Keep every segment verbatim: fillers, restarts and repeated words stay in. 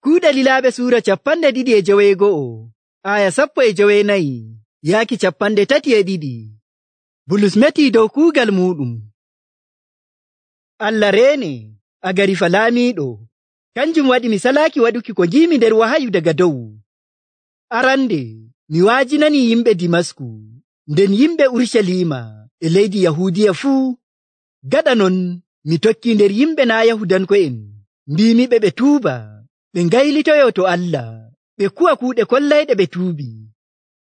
Kuuɗe Lilaaɓe suura capanɗe ɗiɗi e joweego'o, aya sappo e joweenayi, yaaki capanɗe tati e ɗiɗi. Bulus metii dow kuugal muuɗum. Allah reene, Agarifa laamiiɗo, kanjum waɗi mi salaaki waɗuki ko ngiimi nder wahayu daga dow. Arande, mi waajinanii yimɓe Dimasku, nden yimɓe Urucaliima e leydi Yahuudiya fuu. Gaɗa non, mi tokkii nder yimɓe naa' Yahudanko'en, mbiimiɓe ɓe tuuba, ɓe ngaylitoyo to Allah, ɓe ku'a kuuɗe kollayɗe ɓe tuubi.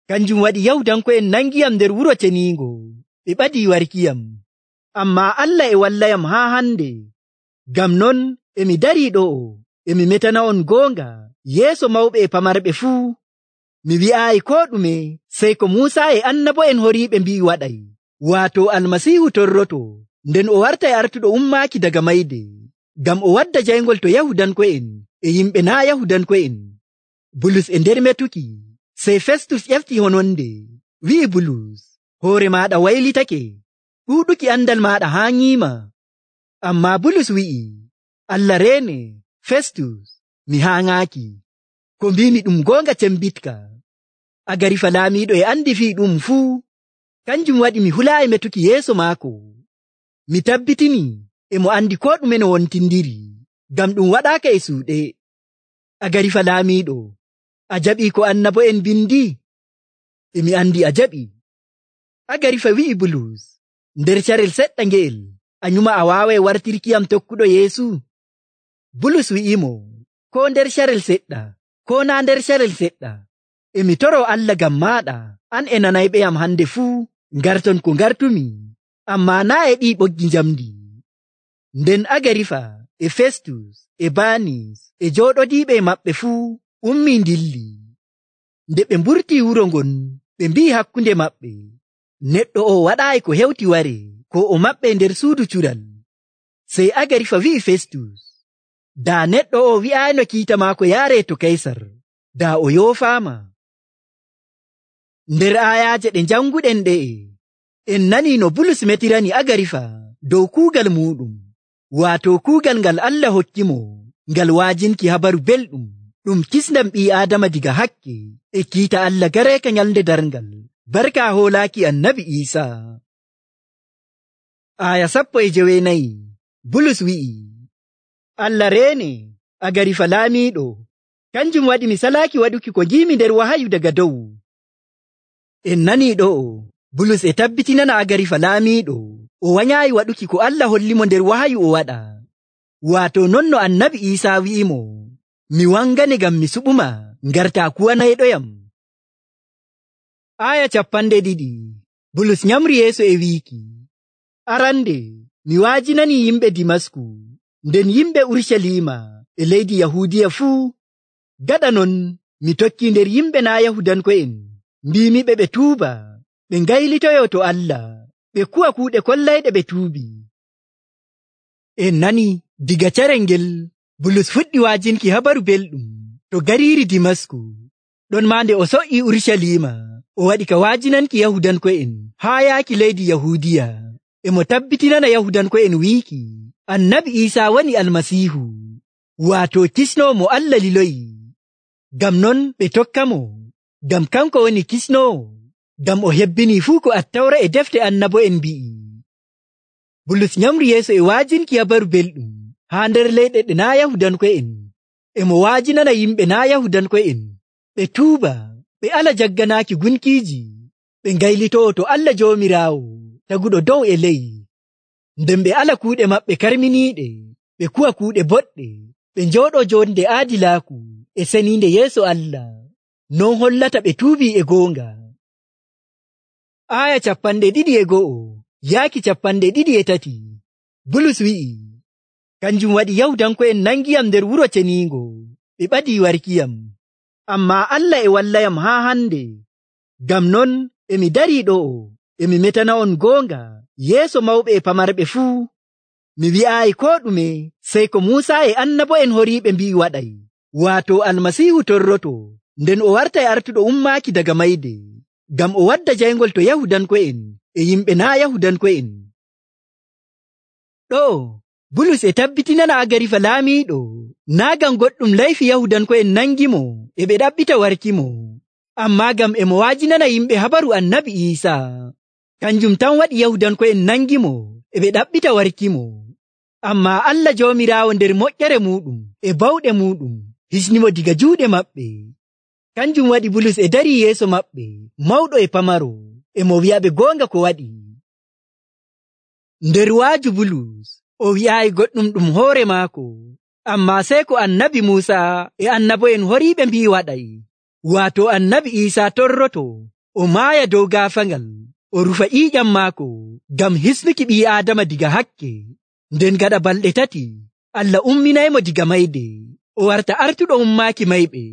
Kanjum waɗi Yahudanko'en nangiyam nder wuro ceniingo, ɓe ɓadii warkiyam. Ammaa Allah e wallayam haa hande. Ngam non e mi darii ɗo'o, e mi metana'on goonga yeeso mawɓe e pamarɓe fuu. Mi wi'aayi koo ɗume sey ko Muusa e annabo'en horiiɓe mbi'i waɗay, waato Almasiihu torroto, nden o wartay artuɗo ummaaki daga mayde, ngam o wadda jayngol to Yahudanko'en e yimɓe naa' Yahudanko'en. Bulus e nder metuki, sey Festus ƴefti hononde, wi'i Bulus, hoore maaɗa waylitake, ɗuuɗuki andal maaɗa haaŋiima. Ammaa Bulus wi'i, Allah reene, Festus, mi haaŋaaki. Ko mbiimi ɗum goonga cembitka. Agarifa laamiiɗo e andi fii ɗum fuu. Kanjum waɗi mi hulaayi metuki yeeso maako. Mi tabbitini e mo andi koo ɗume no wontindiri, ngam ɗum waɗaaka e suuɗe. Agarifa laamiiɗo, a jaɓii ko annabo'en bindi? E mi andi a jaɓi. Agarifa wi'i Bulus, nder carel seɗɗa ngeel, a nyuma a waaway wartirkiyam tokkuɗo Yeesu? Bulus wi'imo, koo nder carel seɗɗa, koo naa nder carel seɗɗa, e mi toroo Allah ngam maaɗa, an e nanayɓeyam hande fuu, ngarton ko ngartumi, ammaa naa e ɗii ɓoggi njamdi. Nden Agarifa e Festus e Banis e jooɗodiiɓe e maɓɓe fuu ummii ndilli. Nde ɓe mburtii wuro ngon, ɓe mbi'i hakkunde maɓɓe, neɗɗo o waɗaayi ko hewti ware, ko o maɓɓe nder suudu cural. Sey Agarifa wi'i Festus, daa neɗɗo o wi'aayno kiita maako yaaree to Kaysar, daa o yoofaama. Nder aayaaje ɗe janguɗen ɗe'e, en nanii no Bulus metirani Agarifa dow kuugal muuɗum, waato kuugal ngal Allah hokkimo, ngal waajinki habaru belɗum, ɗum kisndam ɓii Aadama diga hakke, e kiita Allah gareeka nyalnde darngal, barka hoolaaki Annabi Iisaa. Aaya sappo e joweenayi, Bulus wi'i, Allah reene, Agarifa laamiiɗo, kanjum waɗi mi salaaki waɗuki ko ngiimi nder wahayu daga dow. En nanii ɗo'o, Bulus e tabbitinana Agarifa laamiiɗo, o wanyaayi waɗuki ko Allah hollimo nder wahayu o waɗa, waato non no Annabi Iisaa wi'imo, mi wangane ngam mi suɓuma, ngartaa kuwanayɗoyam. Aaya capanɗe ɗiɗi, Bulus nyamri yeeso e wiiki, arande, mi waajinanii yimɓe Dimasku, nden yimɓe Urucaliima e leydi Yahuudiya fuu. Gaɗa non, mi tokkii nder yimɓe naa' Yahudanko'en, mbiimiɓe ɓe tuuba, ɓe ngaylitoyo to Allah, ɓe ku'a kuuɗe kollayɗe ɓe tuubi. En nani diga carel ngel, Bulus fuɗɗi waajinki habaru belɗum to gariiri Dimasku. Ɗon maa nde o so'ii Urucaliima, o waɗi ka waajinanki Yahudanko'en haa yaaki leydi Yahuudiya, e mo tabbitinana Yahudanko'en wiiki, Annabi Iisaa woni Almasiihu, waato kisnoowo mo Allah liloyi. Ngam non ɓe tokkamo, ngam kanko woni kisnoowo, ngam o hebbinii fuu ko Attawra e defte annabo'en mbi'i. Bulus nyamri yeeso e waajinki habaru belɗum haa nder leyɗe ɗe naa' Yahudanko'en, e mo waajinana yimɓe naa' Yahudanko'en, ɓe tuuba, ɓe ala jagganaaki gunkiiji, ɓe ngaylito'o to Allah Joomiraawo, taguɗo dow e ley, nden ɓe ala kuuɗe maɓɓe karminiiɗe, ɓe ku'a kuuɗe boɗɗe, ɓe njooɗoo joonde aadilaaku e seniinde yeeso Allah, non hollata ɓe tuubii e goonga. Aaya capanɗe ɗiɗi e go'o yaaki capanɗe ɗiɗi e tati, Bulus wi'i, kanjum waɗi Yahudanko'en nangiyam nder wuro ceniingo, ɓe ɓadii warkiyam. Ammaa Allah e wallayam haa hande. Ngam non e mi darii ɗo'o, e mi metana'on goonga yeeso mawɓe e pamarɓe fuu. Mi wi'aayi koo ɗume sey ko Muusa e annabo'en horiiɓe mbi'i waɗay, waato Almasiihu torroto, nden o wartay artuɗo ummaaki daga mayde, ngam o wadda jayngol to Yahudanko'en e yimɓe naa' Yahudanko'en. Ɗo'o Bulus e tabbitinana Agarifa laamiiɗo naa ngam goɗɗum layfi Yahudanko'en nangimo e ɓe ɗaɓɓita warkimo, ammaa ngam e mo wa'ajinana yimɓe habaru Annabi Iisaa. Kanjum tan waɗi Yahudanko'en nangimo e ɓe ɗaɓɓita warkimo. Ammaa Allah Joomiraawo nder moƴƴere muuɗum e bawɗe muuɗum hisnimo diga juuɗe maɓɓe. Kanjum waɗi Bulus e darii yeeso maɓɓe mawɗo e pamaro e mo wi'aɓe goonga ko waɗi. Nder waaju Bulus o wi'aayi goɗɗum ɗum hoore maako, ammaa sey ko Annabi Muusaa e annabo'en horiiɓe mbi'i waɗay, waato Annabi Iisaa torroto o maaya dow gaafaangal o rufa ƴiiƴam maako ngam hisnuki ɓii Aadama diga hakke. Nden gaɗa balɗe tati Allah umminaymo diga mayde o warta artuɗo ummaaki mayɓe.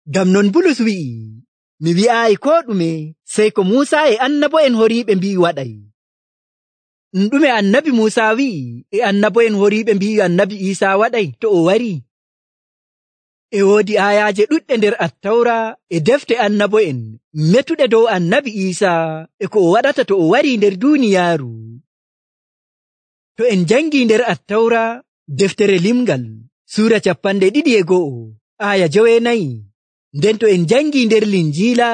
Ngam non Bulus wi'i, mi wi'aayi koo ɗume sey ko Muusaa e annabo'en horiiɓe mbi'i waɗay. Ɗume Annabi Muusaa wi'i e annabo'en horiiɓe mbi'i Annabi Iisaa waɗay to o wari? E woodi aayaaje ɗuɗɗe nder Attawra e defte annabo'en metuɗe dow Annabi Iisaa e ko o waɗata to o wari nder duuniyaaru. To en jangii nder Attawra deftere limgal suura capanɗe ɗiɗi e go'o aaya joweenayi, nden to en jangii nder Linjiila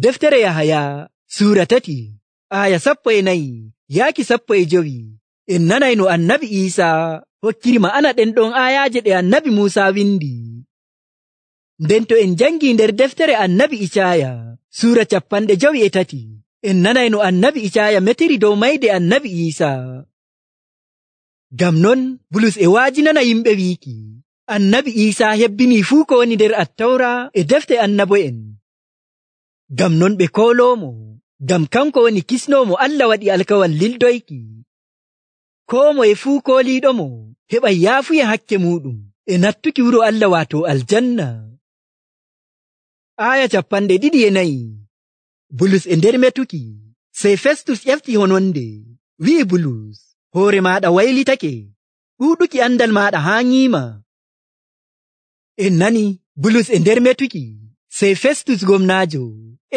deftere Yahaya suura tati aaya sappo e nayi yaaki sappo e jowi, en nanay no Annabi Iisaa hokkiri ma'ana ɗen ɗon aayaaje ɗe Annabi Muusaa windi. Nden to en jangii nder deftere Annabi Icaaya suura capanɗe jowi e tati, en nanay no Annabi Icaaya metiri dow mayde Annabi Iisaa. Ngam non Bulus e wa'ajinana yimɓe wiiki Annabi Iisaa hebbinii fuu ko woni nder Attawra e defte annabo'en. Ngam non ɓe kooloomo, ngam kanko woni kisnoomo Allah waɗi alkawal lildoyki. Koo moye fuu kooliiɗomo heɓay yaafuya hakke muuɗum e nattuki wuro Allah waato aljanna. Aaya capanɗe ɗiɗi e nayi. Bulus e nder metuki, sey Festus ƴefti hononde, wi'i Bulus, hoore maaɗa waylitake, ɗuuɗuki andal maaɗa haaŋiima. En nani Bulus e nder metuki, sey Festus gomnaajo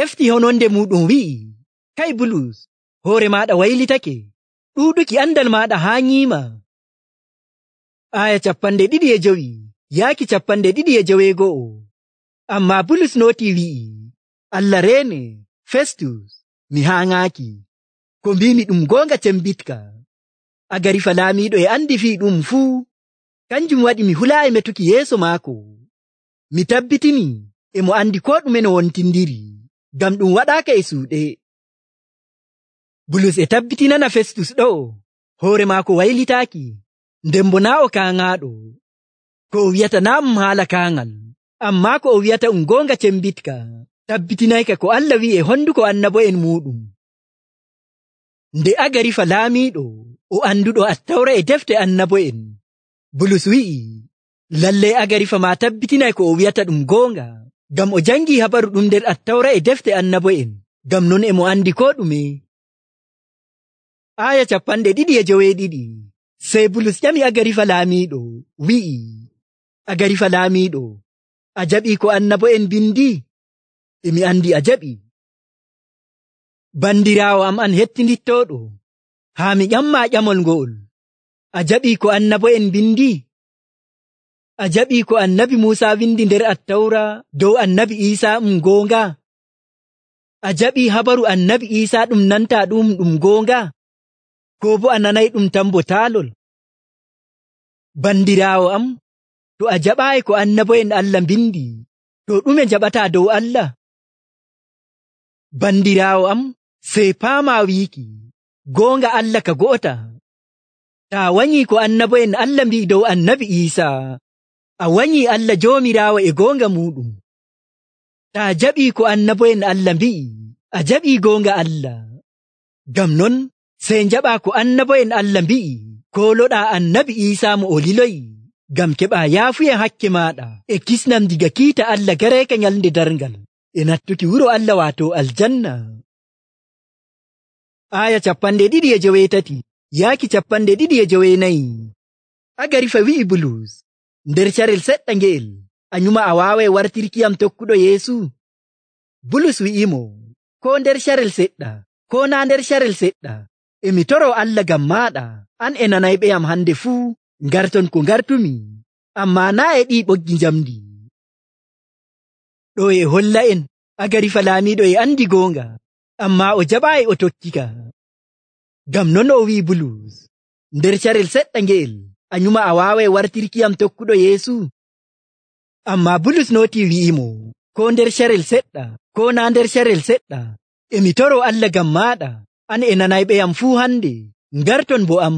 efti hononde muuɗum wi'i, kay Bulus, hoore maaɗa waylitake, ɗuuɗuki andal maaɗa haaŋiima. Aaya capanɗe ɗiɗi e jowi yaaki capanɗe ɗiɗi e joweego'o. Ammaa Bulus nootii wi'i, Allah reene, Festus, mi haaŋaaki. Ko mbimi ɗum goonga cembitka. Agarifa laamiiɗo e andi fii ɗum fuu. Kanjum waɗi mi hulaayi metuki yeeso maako. Mi tabbitini e mo andi koo ɗume no wontindiri, ngam ɗum waɗaaka e suuɗe. Bulus e tabbitinana Festus ɗo'o hoore maako waylitaaki, nden bo naa o kaaŋaaɗo. Ko o wi'ata naa um haala kaaŋal, ammaa ko o wi'ata um goonga cembitka, tabbitinayka ko Allah wi'i e honduko annabo'en muuɗum. Nde Agarifa laamiiɗo o anduɗo Attawra e defte annabo'en, Bulus wi'i, lallay Agarifa maa tabbitinay ko o wi'ata ɗum goonga, ngam o jangii habaru ɗum nder Attawra e defte annabo'en, ngam non e mo andi koo ɗume. Aaya capanɗe ɗiɗi e joweeɗiɗi. Sey Bulus ƴami Agarifa laamiiɗo, wi'i, Agarifa laamiiɗo, a jaɓii ko annabo'en bindi? E mi andi a jaɓi. Bandiraawo am an hettindittooɗo, haa mi ƴammaa ƴamol ngo'ol. A jaɓii ko annabo'en bindi? A jaɓii ko Annabi Muusaa windi nder Attawra dow Annabi Iisaa um goonga? A jaɓii habaru Annabi Iisaa ɗum nantaa ɗum ɗum goonga? Koo bo a nanay ɗum tan bo taalol? Bandiraawo am, to a jaɓaayi ko annabo'en Allah mbindi, to ɗume jaɓataa dow Allah? Bandiraawo am, sey paamaa wiiki, goonga Allah ka go'ota. Taa wanyii ko annabo'en Allah mbi'i dow Annabi Iisaa, a wanyii Allah Joomiraawo e goonga muuɗum. Taa jaɓii ko annabo'en Allah mbi'i, a jaɓii goonga Allah. Ngam non, sey njaɓaa ko annabo'en Allah mbi'i, kooloɗaa Annabi Iisaa mo o liloyi, ngam keɓaa yaafuya hakke maaɗa e kisnam diga kiita Allah gareeka nyalnde darngal e nattuki wuro Allah waato aljanna. Aaya capanɗe ɗiɗi e joweetati yaaki capanɗe ɗiɗi e joweenayi. Agarifa wi'i Bulus, nder carel seɗɗa nge'el, a nyuma a waaway wartirkiyam tokkuɗo Yeesu? Bulus wi'imo, koo nder carel seɗɗa, koo naa nder carel seɗɗa, e mi toroo Allah ngam maaɗa, an e nanayɓeyam hande fuu ngarton ko ngartumi, ammaa naa e ɗii ɓoggi njamdi. Ɗo e holla en Agarifa laamiiɗo e andi goonga, ammaa o jaɓaayi o tokkika. Ngam non o wi'i Bulus, nder carel seɗɗa nge'el a nyuma a waaway wartirkiyam tokkuɗo Yeesu? Ammaa Bulus nootii wi'imo, koo nder carel seɗɗa, koo naa nder carel seɗɗa, e mi toroo Allah ngam maaɗa, an e nanayɓeyam fuu hande, ngarton bo am.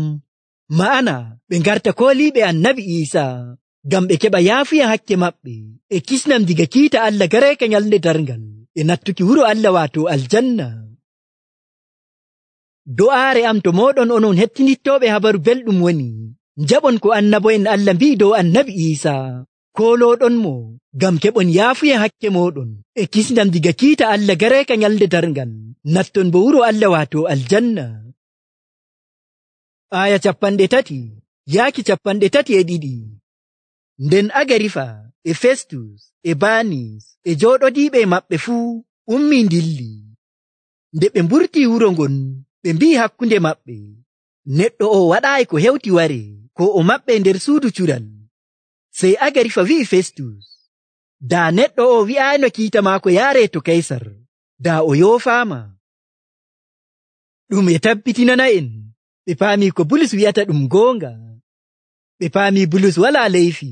Ma'ana ɓe ngarta kooliiɓe Annabi Iisaa, ngam ɓe keɓa yaafuya hakke maɓɓe, e kisnam diga kiita Allah gareeka nyalnde darngal, e nattuki wuro Allah waato aljanna. Do'aare am to mooɗon onon hettinittooɓe habaru belɗum woni, njaɓon ko annabo'en Allah mbi'i dow Annabi Iisaa, koolooɗonmo ngam keɓon yaafuya hakke mooɗon, e kisnam diga kiita Allah gareeka nyalnde darngal, natton bo wuro Allah waato aljanna. Aya capanɗe tati yaaki capanɗe tati e ɗiɗi. Nden Agarifa e Festus e Banis e jooɗodiiɓe maɓɓe fuu ummii ndilli. Nde ɓe mburtii wuro ngon, ɓe mbi'i hakkunde maɓɓe, neɗɗo o waɗaayi ko hewti ware, ko o maɓɓe nder suudu cuɗal. Sey Agarifa wi'i Festus, daa neɗɗo o wi'aayno kiita maako yaaree to Kaysar, daa o yoofaama. Ɗum e tabbitinana en ɓe paamii ko Bulus wi'ata ɗum goonga. Ɓe paamii Bulus walaa leyfi,